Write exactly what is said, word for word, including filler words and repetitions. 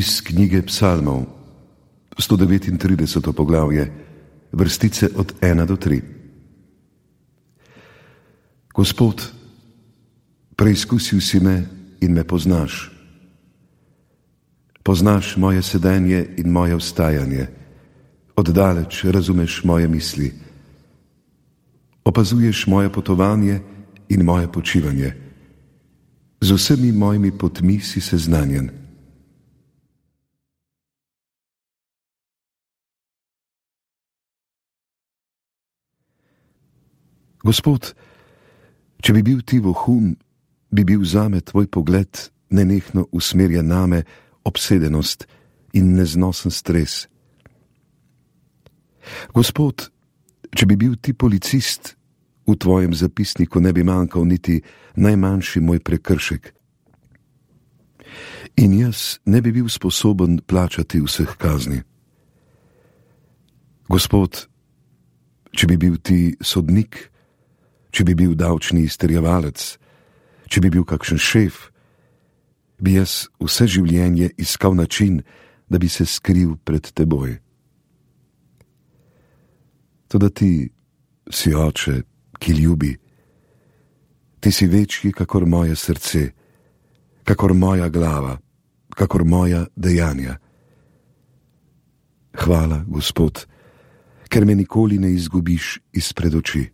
Iz knjige Psalmov, sto devetintrideseto poglavje, vrstice od ena do tri. Gospod, preizkusil si me in me poznaš. Poznaš moje sedenje in moje vstajanje, oddaleč razumeš moje misli. Opazuješ moje potovanje in moje počivanje. Z vsemi mojimi potmi si seznanjen. Gospod, če bi bil ti vohun, bi bil zame tvoj pogled nenehno usmerjen name, obsedenost in neznosen stres. Gospod, če bi bil ti policist, v tvojem zapisniku ne bi manjkal niti najmanjši moj prekršek. In jaz ne bi bil sposoben plačati vseh kazni. Gospod, če bi bil ti sodnik, če bi bil davčni izterjevalec, če bi bil kakšen šef, bi jaz vse življenje iskal način, da bi se skril pred teboj. Toda ti si oče, ki ljubi. Ti si večji kakor moje srce, kakor moja glava, kakor moja dejanja. Hvala, Gospod, ker me nikoli ne izgubiš izpred oči.